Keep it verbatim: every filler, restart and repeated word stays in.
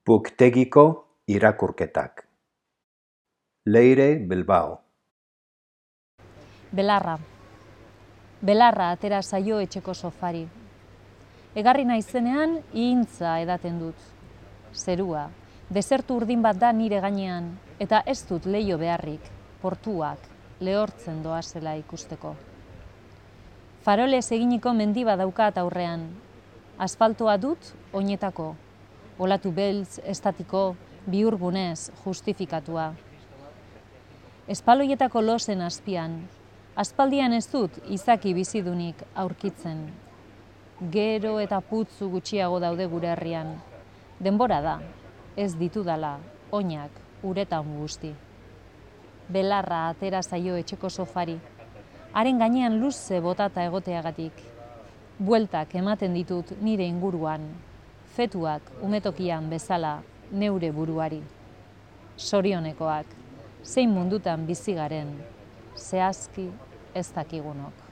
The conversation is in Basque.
Buktegiko irakurketak. Leire Bilbao. Belarra. Belarra atera zaio etxeko sofari. Egarri naizenean ihintza edaten dut. Zerua, desertu urdin bat da nire gainean, eta ez dut leiho beharrik, portuak, lehortzen doazela ikusteko. Farolez eginiko mendi bat daukat aurrean. Asfaltoa dut oinetako. Olatu beltz, estatiko, bihurgunez justifikatua. Espaloietako lozen azpian. Aspaldian ez dut izaki bizidunik aurkitzen. Gero eta putzu gutxiago daude gure herrian. Denbora da, ez ditudala, oinak uretan guzti. Belarra atera zaio etxeko sofari. Haren gainean luze botata egoteagatik. Bueltak ematen ditut nire inguruan. Fetuak umetokian bezala neure buruari. Sorionekoak, zein mundutan bizi garen, zehazki ez dakigunok.